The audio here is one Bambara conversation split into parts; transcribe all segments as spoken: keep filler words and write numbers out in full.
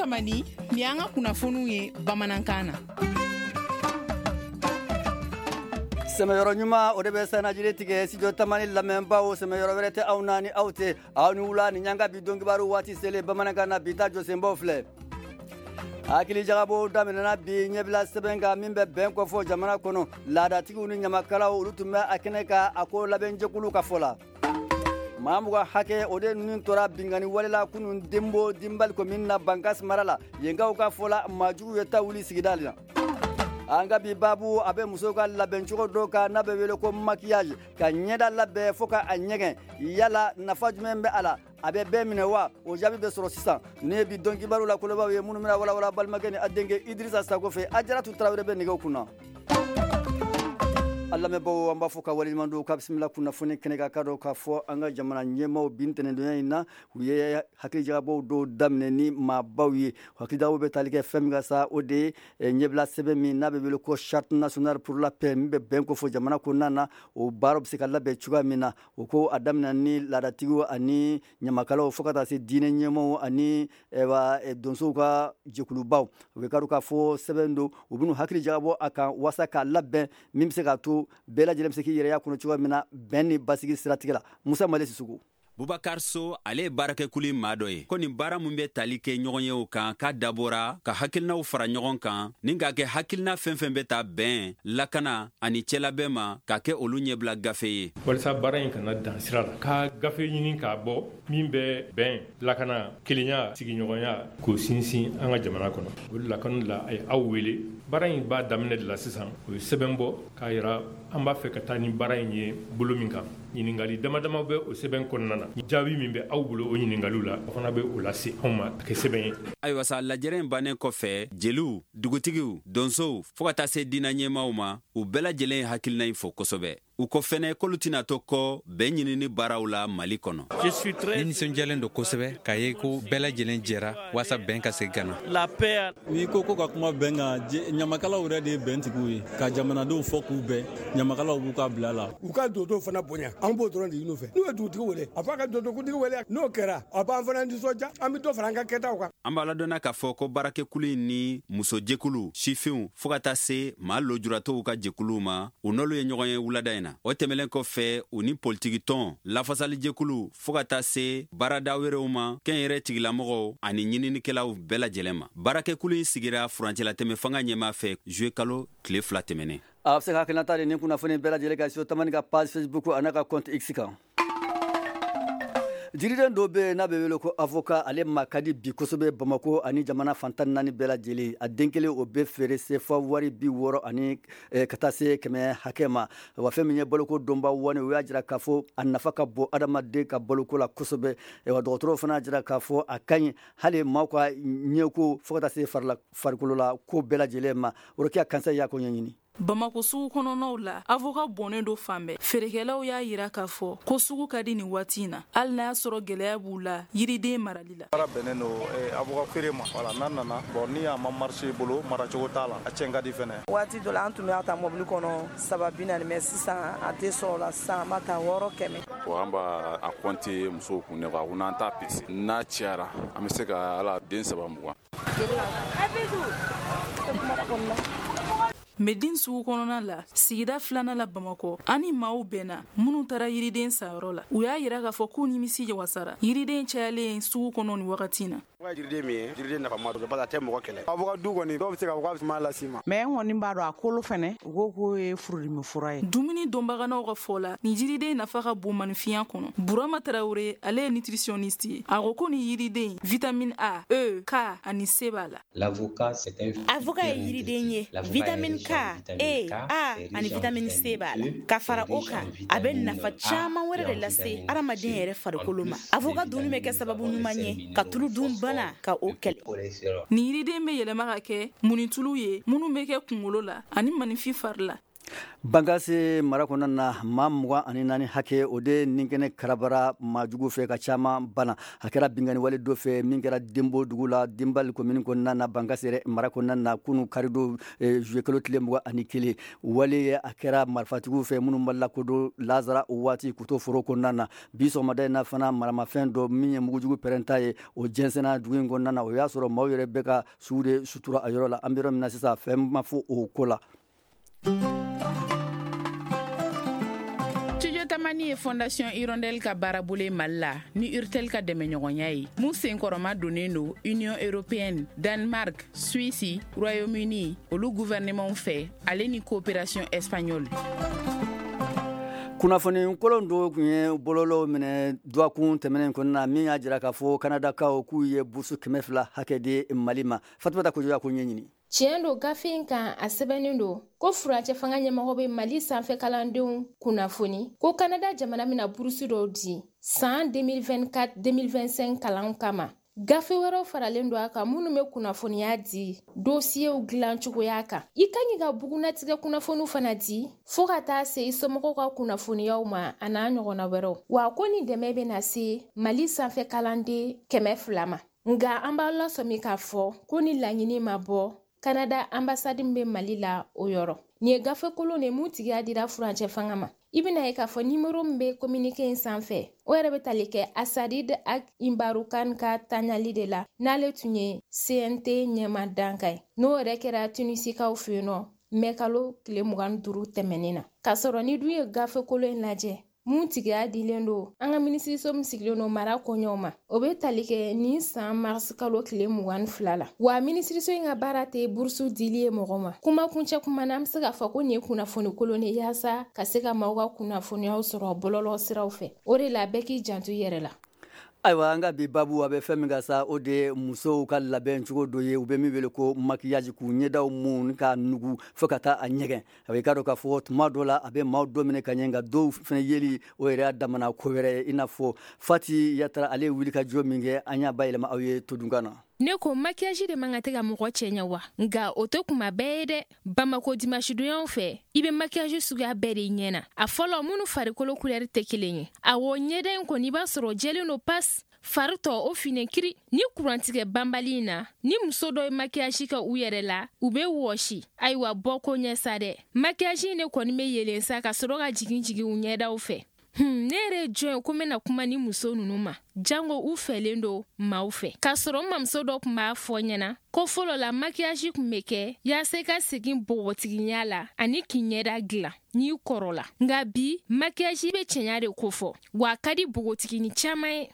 Tamani, nin y'an ka kunnafoniw ye bamanankan na. Sɛmɛyɔrɔ ɲuman o de bɛ sanajiri tigɛ studio Tamani lamɛnbaaw sɛmɛyɔrɔ wɛrɛ tɛ aw na ni aw tɛ aw ni wula ni ɲanga bi donkibaru waati selen bamanankan na bi ta jɔsenbaw filɛ. Hakili jagabɔ daminɛna bi ɲɛbila sɛbɛn kan min bɛ bɛn kɔfɔ jamana kɔnɔ laadatigiw ni ɲamakalaw olu tun bɛ a kɛnɛ kan a ko labɛnjɛkulu ka fɔ la. Maa mugan hakɛ o de ninnu tora binkanni wale la kunun Denbo Dinbali commune na Bankas mara la yenkaw ka fɔ la maajugu ye ta wuli sigida la. An ka bi baabu a bɛ musow ka labɛncogo dɔ kan n'a bɛ wele ko maquillage ka ɲɛda labɛn fo ka a ɲɛgɛn yala nafa jumɛn bɛ a la a bɛ bɛɛ minɛ wa o jaabi bɛ sɔrɔ sisan ne ye bi don kibaru la kolobaw ye minnu bɛna walawala balimakɛ ni a denkɛ Idrissa Sako fɛ Ajaratu Tarawele bɛ nɛgɛw kunna. A lamɛnbaaw an b'a fɔ ka waleɲuman dɔn ka bisimila kunnafoni kɛnɛ kan ka dɔn k'a fɔ an ka jamana ɲɛmaaw bi ntɛnɛndonya in na u ye hakilijagabɔw dɔw daminɛ ni maabaw ye hakilijagabɔw bɛ tali kɛ fɛn min kan sa o de ye ɲɛbila sɛbɛn min n'a bɛ wele ko charte nationale pour la paix min bɛ bɛn kofɔ jamana kɔnɔna na o baaraw bɛ se ka labɛn cogoya min na o ko a daminɛ ni laadatigiw ani ɲamakalaw fo ka taa se diinɛ ɲɛmaaw ani donsow ka jɛkulubaw u bɛ ka dɔn k'a fɔ sɛbɛn don u bɛn'u hakili jagabɔ a kan walasa k'a labɛn min bɛ se k'a to bɛɛ lajɛlen bɛ se k'i yɛrɛ y'a kɔnɔ cogoya min na bɛn ni basigi siratigɛ la. Musa Male Sisoko. Bubakar So ale ye baarakɛkulu maa dɔ ye ko nin baara min bɛ tali kɛ ɲɔgɔnyew kan k'a dabɔra ka hakilinaw fara ɲɔgɔn kan ni k'a kɛ hakilina fɛn fɛn bɛ taa bɛn lakana ani cɛlabɛn ma k'a kɛ olu ɲɛbila gafe ye. Walasa baara in kana dan sira la ka gafe ɲini k'a bɔ min bɛ bɛn lakana kelenya sigiɲɔgɔnya k'o sinsin an ka jamana kɔnɔ. O de la kanu la a ye aw wele baara in b'a daminɛ de la sisan o ye sɛbɛn bɔ k'a yira an b'a fɛ ka taa ni baara in ye bolo min kan. Ɲininkali dama dama bɛ o sɛbɛn kɔnɔna na jaabi min bɛ aw bolo o ɲininkaliw la o fana bɛ o lase anw ma a kɛ sɛbɛn ye. Ayiwa sa lajɛrɛ in bannen kɔfɛ jeliw dugutigiw donsow fo ka taa se diinɛ ɲɛmaaw ma u bɛɛ lajɛlen ye hakilina in fo kosɛbɛ. U ko fɛnɛ k'olu tɛna to kɔ bɛn ɲinini baaraw la Mali kɔnɔ. Ne nisɔndiyalen don kosɛbɛ k'a ye ko bɛɛ lajɛlen jɛra walasa bɛn ka segin ka na. N'i ko ko ka kuma bɛn kan ɲamakalaw yɛrɛ de ye bɛntigiw ye ka jamanadenw fɔ k'u bɛn ɲamakalaw b'u ka bila la. U ka donsow fana bonya an b'o dɔrɔn de ɲini u fɛ n'u ye dugutigi wele a f'a ka donsokuntigi wele n'o kɛra a b'an fana nisɔndiya an bɛ dɔ fara an ka kɛtaw kan. An b'a ladɔnna k'a fɔ ko baarakɛkulu in ni musojɛkulu sifinw fo ka taa se maa lujuratɔw ka jɛkuluw ma u n'olu ye ɲɔgɔn ye wulada in na. O tɛmɛlen kɔfɛ u ni politikitɔn lafasalijɛkulu fo ka taa se baarada wɛrɛw ma kɛnyɛrɛ tigilamɔgɔw ani ɲininikɛlaw bɛɛ lajɛlen ma. Baarakɛkulu in sigira furancɛlatɛmɛ fanga ɲɛmaa fɛ juillet kalo tile fila tɛmɛnen. A bɛ se ka hakilinata di nin kunnafoni bɛɛ lajɛlen kan studio Tamani ka page Facebook a n'a ka compte X kan. Jiriden dɔ bɛ yen n'a bɛ wele ko avocat ale ma ka di bi kosɛbɛ Bamakɔ ani jamana fantan naani bɛɛ lajɛlen a den kelen o bɛ feere sefa wari bi wɔɔrɔ ani ka taa se kɛmɛ hakɛ ma wa fɛn min ye baloko dɔnba wani o y'a jira k'a fɔ a nafa ka bon adamaden ka baloko la kosɛbɛ wa dɔgɔtɔrɔw fana y'a jira k'a fɔ a ka ɲi hali maaw ka ɲɛko fo ka taa se farila farikolo la ko bɛɛ lajɛlen ma. Orokiya Kansa y'a ko ɲɛɲini. Bamakɔ sugu kɔnɔnaw la avocat bɔnnen do fan bɛɛ feerekɛlaw y'a yira k'a fɔ ko sugu ka di nin waati in na hali n'a y'a sɔrɔ gɛlɛya b'u la yiriden marali la. Baara bɛnnen don avocat feere ma wala n'a nana bon ni a ma marché bolo maracogo t'a la a cɛn ka di fɛnɛ. Waati dɔ la an tun b'a ta mobili kɔnɔ saba bi naani mais sisan a tɛ sɔrɔ la sisan an b'a ta wɔɔrɔ kɛmɛ. Bon an b'a a compter musow kun ne ko n'an t'a pese n'a cayara an bɛ se ka ala den saba mugan. Medine sugu kɔnɔna la sigida filanan la Bamakɔ ani maaw bɛnna minnu taara yiriden sanyɔrɔ la u y'a yira k'a fɔ k'u nimisi wasara yiriden cayalen sugu kɔnɔ nin wagati in na. Jiriden min ye jiriden nafama don parce que a tɛ mɔgɔ kɛlɛ. Avocat du kɔni dɔw bɛ se k'a fɔ k'a bɛ sumaya las'i ma. Mais n kɔni b'a dɔn a kolo fɛnɛ u ko k'o ye furudimi fura ye. Dumuni dɔnbaganaw ka fɔ la nin jiriden nafa ka bon maninfinya kɔnɔ. Burama Tarawele ale ye nutritionniste ye a ko ko nin yiriden vitamine A, E, K ani C b'a la. L'avocat c'est un avocat ye yiriden ye vitamine K, E, A ani vitamine C b'a la. Ka fara o kan a bɛ nafa caman wɛrɛ de lase adamaden yɛrɛ farikolo ma. Avocat dunni bɛ kɛ sababu ɲuman ye ka tulu dun bana ka o kɛlɛ. Nin yiriden bɛ yɛlɛma ka kɛ munitulu ye minnu bɛ kɛ kunkolo la ani maninfin fari la. Bankase mara kɔnɔna na, maa mugan ani naani hakɛ o de nin kɛnɛ karabara maajugu fɛ ka caman bana. A kɛra binkanni wale dɔ fɛ min kɛra Denbo dugu la, Denbali commune kɔnɔna na, Bankase yɛrɛ mara kɔnɔna na, kunun karidon juillet kalo tile mugan ani kelen. Wale ye a kɛra marifatigiw fɛ minnu ma lakodɔn lazara o waati k'u to foro kɔnɔna na. Bi sɔgɔmada in na fana, maramafɛn dɔ min ye mugujugu pɛrɛnta ye, o jɛnsɛnna dugu in kɔnɔna na. O y'a sɔrɔ maaw yɛrɛ bɛ ka su de sutura a yɔrɔ la. An bɛ yɔrɔ min na sisan, fɛn ma fɔ o ko la. Studio Tamani ye Fondation Hirondelle ka baarabolo ye Mali la ni Urtel ka dɛmɛɲɔgɔnya ye, mun senkɔrɔma donnen don Union européenne, Danemark, Suisse, Royaume-Uni olu gouvernement fɛ, ale ni coopération espagnole. Kunnafoni kolon dɔw tun ye bɔlɔlɔw minɛ dɔgɔkun tɛmɛnen kɔnɔna na, min y'a jira k'a fɔ Kanadakaw k'u ye bourse kɛmɛ fila hakɛ di Mali ma. Fatumata Kojo y'a ko ɲɛɲini. Tiɲɛ don, gafe in kan a sɛbɛnnen don ko furancɛ fanga ɲɛmɔgɔ bɛ Mali sanfɛ kalandenw kunnafoni ko Kanada jamana bɛna burusi dɔw di san deux mille vingt-quatre deux mille vingt-cinq kalanw kama. Gafe wɛrɛw faralen don a kan minnu bɛ kunnafoniya di dosiyew dilan cogoya kan, i kan k'i ka bugunatigɛ kunnafoniw fana di, fɔɔ ka taa se i somɔgɔw ka kunnafoniyaw ma, a n'a ɲɔgɔnna wɛrɛw. Wa ko nin dɛmɛ bɛna se Mali sanfɛ kalanden kɛmɛ fila ma. Nga an b'a lasɔmi k'a fɔ ko ni laɲini ma bɔ Kanada ambassade min bɛ Mali la o yɔrɔ. Nin ye gafe kolon de mun tigiya dira furancɛ fanga ma. I bɛna ye k'a fɔ nimoro min bɛ communiqué in sanfɛ, o yɛrɛ bɛ tali kɛ Assarid Ag Imbarukan ka taɲali de la, n'ale tun ye C N T ɲɛma dankan ye, n'o yɛrɛ kɛra Tunisikaw fɛ yen nɔ mɛ kalo tile mugan duuru tɛmɛnen na. K'a sɔrɔ ni dun ye gafe kolon in lajɛ mun tigiya dilen don an ka minisiriso min sigilen don mara koɲɛw ma, o bɛ tali kɛ nin san marisi kalo tile mugan fila la. Wa minisiriso in ka baara tɛ burusu dili ye mɔgɔ ma. Kuma kuncɛ kuma na, an bɛ se k'a fɔ ko nin ye kunnafoni kolon de yaasa ka se ka maaw ka kunnafoniyaw sɔrɔ bɔlɔlɔ siraw fɛ. O de la, bɛɛ k'i janto i yɛrɛ la. Ayiwa, an ka bi babu a bɛ fɛn min ka sa, o de ye musow ka labɛn cogo dɔ ye u bɛ min wele ko maquillage, k'u ɲɛdaw mun ka nugu fo ka taa a ɲɛgɛn. A bɛ i k'a dɔn k'a fɔ tuma dɔ la a bɛ maaw dɔ minɛ ka ɲɛ, nka dɔw fana yeli o yɛrɛ y'a damana ko wɛrɛ ye. I n'a fɔ Fati Yatara, ale ye wuli ka jɔ min kɛ, an y'a bayɛlɛma aw ye todunkan na. Ne ko maquillage de man ka tɛ ka mɔgɔ cɛ ɲɛ wa? Nka o tɛ kuma bɛɛ ye dɛ. Bamako dimanche fɛ, i bɛ maquillage suguya bɛɛ de ɲɛ na. A fɔlɔ, minnu farikolo couleur tɛ kelen ye. Awɔ, ɲɛda in kɔni, i b'a sɔrɔ jɛlen don pas, fari tɔ o finen kiri. Ni kurantigɛ banbali in na, ni muso dɔ ye maquillage kɛ u yɛrɛ la, u bɛ wɔsi. Ayiwa, bɔ ko ɲɛ sa dɛ. Maquillage in de kɔni bɛ yelen sa ka sɔrɔ ka jigin jigin u ɲɛdaw fɛ. Hmm, ne yɛrɛ ye jɔn ye ko n bɛna kuma ni muso ninnu ma, jango u fɛlen don maaw fɛ? K'a sɔrɔ n mamuso dɔ tun b'a fɔ ɲɛna ko fɔlɔ la, maquillage tun bɛ kɛ yaasa i ka segin bogotigiya la ani k'i ɲɛda dilan n'i kɔrɔla. Nka bi, maquillage bɛ cɛɲa de kofɔ, wa a ka di bogotigini caman ye.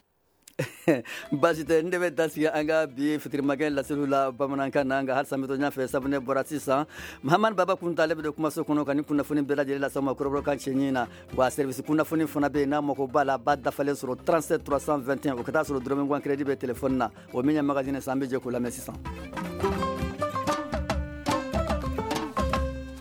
Baasi tɛ, n de bɛ dasigi an ka bi fitirimakɛ laseliw la bamanankan na. Nka halisa n bɛ to ɲɛfɛ sabu ne bɔra sisan, Mahamani Baba Kunta, ale bɛ don kumaso kɔnɔ ka ni kunnafoni bɛɛ lajɛlen lase aw ma kɔrɔbɔrɔkan cɛɲi na. Wa service kunnafoni fana bɛ yen, n'a mako b'a la, a b'a dafalen sɔrɔ trente-sept trois cent vingt et un, o ka taa sɔrɔ dɔrɔmɛ mugan crédit bɛ téléphone na. O min ye magazine san, an bɛ jɛ k'o lamɛn sisan.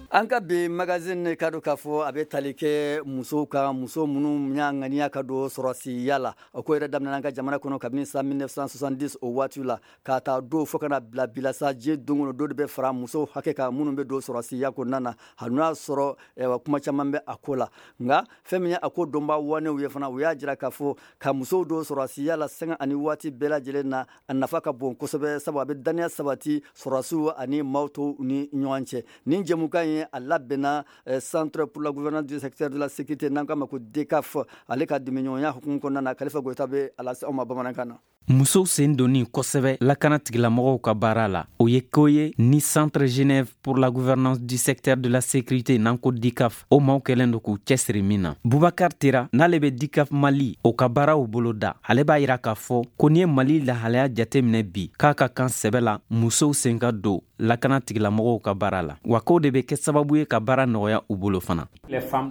An ka bi magazine ka don k'a fɔ a bɛ tali kɛ musow kan, muso minnu y'a ŋaniya ka don sɔrɔsiya la. O ko yɛrɛ daminɛ an ka jamana kɔnɔ kabini san mille neuf cent soixante-dix o waati la ka taa don fo ka na bila bila sa. Diɲɛ don o don de bɛ fara musow hakɛ kan minnu bɛ don sɔrɔsiya kɔnɔna na, hali n'o y'a sɔrɔ kuma caman bɛ a ko la. Nka fɛn min ye a ko dɔnbaa wanew ye fana, u y'a jira k'a fɔ ka musow don sɔrɔsiya la sanga ani waati bɛɛ lajɛlen na, a nafa ka bon kosɛbɛ, sabu a bɛ daniya sabati sɔrɔsiw ani maaw tɔw ni ɲɔgɔn cɛ. Nin jɛmukan ye a labɛnna Centre pour la gouvernance du secteur de la sécurité, n'an k'a ma ko DCAF, ale ka dɛmɛɲɔgɔnya hukumu kɔnɔna na. Kalifa Goyita bɛ a lase aw ma bamanankan na. Musow sen donni kosɛbɛ lakana tigilamɔgɔw ka baara la, o ye ko ye ni Centre Genève pour la gouvernance du secteur de la sécurité, n'an ko DICAF, o maaw kɛlen do k'u cɛsiri min na. Bubakar Tera, n'ale bɛ DICAF Mali o ka baaraw bolo da, ale b'a yira k'a fɔ ko n'i ye Mali lahalaya jate minɛ bi, k'a ka kan sɛbɛ la musow sen ka don lakana tigilamɔgɔw ka baara la, wa k'o de bɛ kɛ sababu ye ka baara nɔgɔya u bolo fana.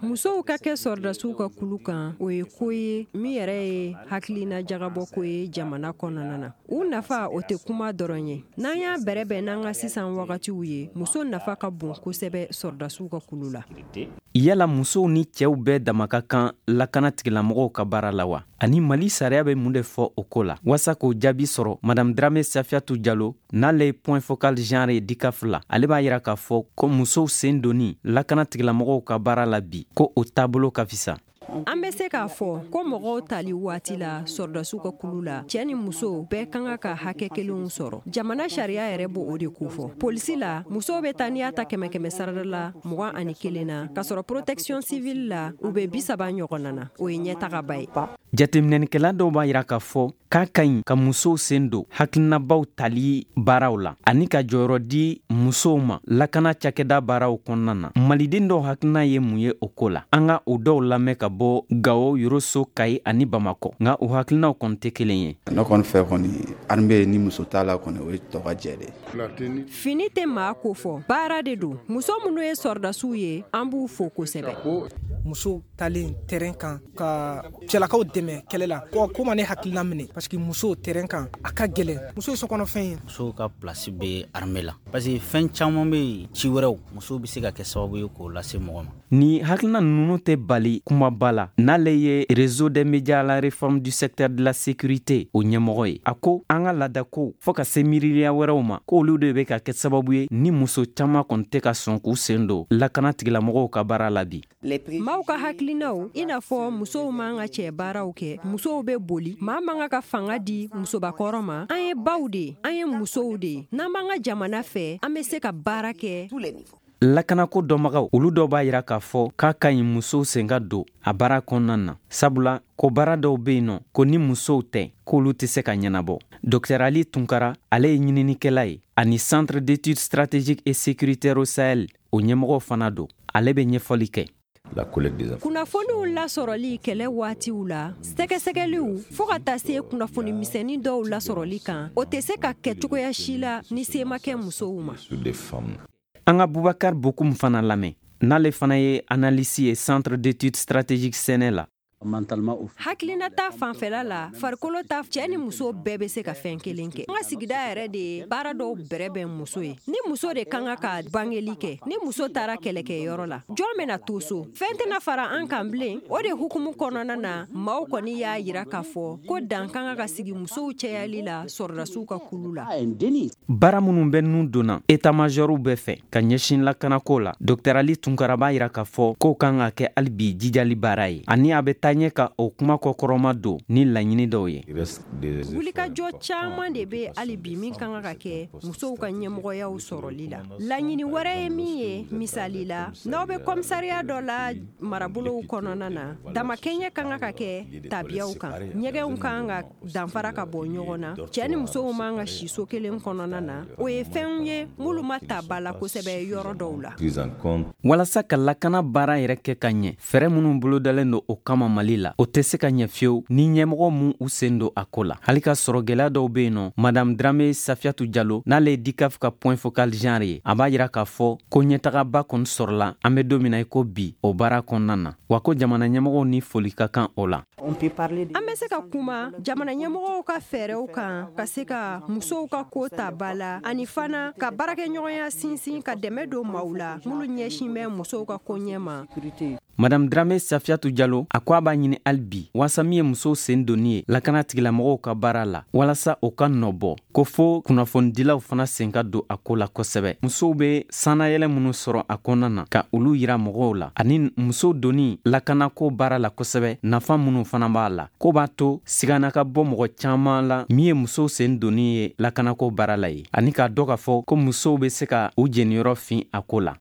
Musow ka kɛ sɔrɔdasiw ka kulu kan, o ye ko ye min yɛrɛ ye hakilina jagabɔ ko ye jamana. jamana kɔnɔna na. U nafa o tɛ kuma dɔrɔn ye. N'an y'a bɛrɛbɛn n'an ka sisan wagatiw ye, muso nafa ka bon kosɛbɛ sɔrɔdasiw ka kulu la. Yala musow ni cɛw bɛɛ dama ka kan lakana tigilamɔgɔw ka baara la wa? Ani Mali sariya bɛ mun de fɔ o ko la? Waasa k'o jaabi sɔrɔ, Madame Dramé Safiatou Diallo, n'ale ye point focal genre ye DICAF la, ale b'a yira k'a fɔ ko musow sen donni lakana tigilamɔgɔw ka baara la bi, ko o taabolo ka fisa. An bɛ se k'a fɔ ko mɔgɔw tali waati la sɔrɔdasiw ka kulu la, cɛ ni muso bɛɛ ka kan ka hakɛ kelenw sɔrɔ. Jamana sariya yɛrɛ b'o o de kofɔ. Polisi la, musow bɛ taa n'i y'a ta kɛmɛ kɛmɛ sarada la mugan ani kelen na, k'a sɔrɔ protection civile la, u bɛ bi saba ɲɔgɔnna na. O ye ɲɛtagaba ye. Jateminɛnikɛla dɔw b'a yira k'a fɔ k'a ka ɲi ka musow sen don hakilinabaw tali baaraw la ani ka jɔyɔrɔ di musow ma lakana cakɛda baaraw kɔnɔna na. Maliden dɔw hakilina ye mun ye o ko la? An ka o dɔw lamɛn ka bɔ Gawo, Yoroso, Kayi ani Bamakɔ, nka o hakilinaw kɔni tɛ kelen ye. Ne kɔni fɛ kɔni, armée ni muso t'a la kɔni, o ye tɔ ka jɛ de. Fini tɛ maa ko fɔ, baara de don. Muso minnu ye sɔrɔdasiw ye, an b'u fo kosɛbɛ. Muso talen terrain kan ka cɛlakaw dɛmɛ kɛlɛ la, ko ko ma ne hakilina minɛ, parce que muso terrain kan a ka gɛlɛn. Muso ye sokɔnɔfɛn ye. Musow ka place bɛ armée la, parce que fɛn caman bɛ yen, ci wɛrɛw musow bɛ se ka kɛ sababu ye k'o lase mɔgɔ ma. Ni hakilina ninnu tɛ bali kumaba la, n'ale ye réseau des médias à la réforme du secteur de la sécurité o ɲɛmɔgɔ ye, a ko an ka laadakow fɔɔ ka se miiriliya wɛrɛw ma, k'olu de bɛ ka kɛ sababu ye ni muso caman kɔni tɛ ka sɔn k'u sen don lakana tigilamɔgɔw ka baara la bi. Maaw ka hakilinaw, i n'a fɔ musow man ka cɛ baaraw kɛ, musow bɛ boli, maa man ka ka fanga di musobakɔrɔ ma. An ye baw de ye, an ye musow de ye. N'an b'an ka jamana fɛ, an bɛ se ka baara kɛ. Lakanako dɔnbagaw, olu dɔw b'a yira k'a fɔ k'a ka ɲi musow sen ka don a baara kɔnɔna na, sabula ko baara dɔw bɛ yen nɔ ko ni musow tɛ, k'olu tɛ se ka ɲɛnabɔ. Docteur Ali Tunkara, ale ye ɲininikɛla ye ani Centre d'études stratégiques et sécuritaires au Sahel o ɲɛmɔgɔ fana don. Ale bɛ ɲɛfɔli kɛ. Kunnafoniw lasɔrɔli kɛlɛ waatiw la, sɛgɛsɛgɛliw fo ka taa se kunnafoni misɛnnin dɔw lasɔrɔli kan, o tɛ se ka kɛ cogoya si la ni se ma kɛ musow ma. An ka Bubakar Bokum fana lamɛn, n'ale fana ye analyste ye Centre d'études stratégiques Sɛnɛ la. Hakilina ta fanfɛla la, farikolo ta, cɛ ni muso bɛɛ bɛ se ka fɛn kelen kɛ. An ka sigida yɛrɛ de ye baara dɔw bɛrɛ bɛn muso ye. Ni muso de kan ka bangeli kɛ, ni muso taara kɛlɛkɛyɔrɔ la, jɔn bɛna to so? Fɛn tɛna fara an kan bilen. O de hukumu kɔnɔna na, maaw kɔni y'a yira k'a fɔ ko dan kan ka sigi musow cɛyali la sɔrɔdasiw ka kulu la. Baara minnu bɛ nun donna état-majorw bɛɛ fɛ ka ɲɛsin lakanako la, Docteur Ali Tunkara b'a yira k'a fɔ k'o kan ka kɛ hali bi jijali baara ye, ani a bɛ taa ɲɛ ka o kuma kɔkɔrɔma don ni laɲini dɔw ye. Wulikajɔ caman de bɛ hali bi min kan ka kɛ musow ka ɲɛmɔgɔyaw sɔrɔli la. Laɲini wɛrɛ ye min ye, misali la, n'aw bɛ kɔmisariya dɔ la marabolow kɔnɔna na, damakɛɲɛ kan ka kɛ tabiyaw kan, ɲɛgɛnw kan ka danfara ka bɔ ɲɔgɔn na, cɛ ni musow man ka si so kelen kɔnɔna na. O ye fɛnw ye minnu ma ta ba la kosɛbɛ yɔrɔ dɔw la. Walasa ka lakana baara yɛrɛ kɛ ka ɲɛ, fɛɛrɛ minnu bolodalen don o kama Mali la, o tɛ se ka ɲɛ fiyewu ni ɲɛmɔgɔ mun u sen don a ko la. Hali ka sɔrɔ gɛlɛya dɔw bɛ yen nɔ, Madame Dramé Safiatou Diallo, n'ale ye DICAF ka point focal genre ye, a b'a yira k'a fɔ ko ɲɛtagaba kɔni sɔrɔla an bɛ don min na i ko bi o baara kɔnɔna na, wa ko jamana ɲɛmɔgɔw ni foli ka kan o la. An bɛ se ka kuma jamana ɲɛmɔgɔw ka fɛɛrɛw kan ka se ka musow ka ko ta ba la, ani fana ka baarakɛɲɔgɔnya sinsin ka dɛmɛ don maaw la minnu ɲɛsin bɛ musow ka ko ɲɛ ma. Madame Dramé Safiatou Diallo, a ko a b'a ɲini hali bi waasa min ye musow sen donni ye lakana tigilamɔgɔw ka baara la, walasa o ka nɔ bɔ, ko fo kunnafonidilaw fana sen ka don a ko la kosɛbɛ. Musow bɛ sannayɛlɛ minnu sɔrɔ a kɔnɔna na ka olu yira mɔgɔw la, ani musow donni lakanako baara la kosɛbɛ, nafa minnu fana b'a la, ko b'a to sigana ka bɔ mɔgɔ caman la min ye musow sen donni ye lakanako baara la ye, ani k'a dɔn k'a fɔ ko musow bɛ se ka u jeniyɔrɔ fin a ko la.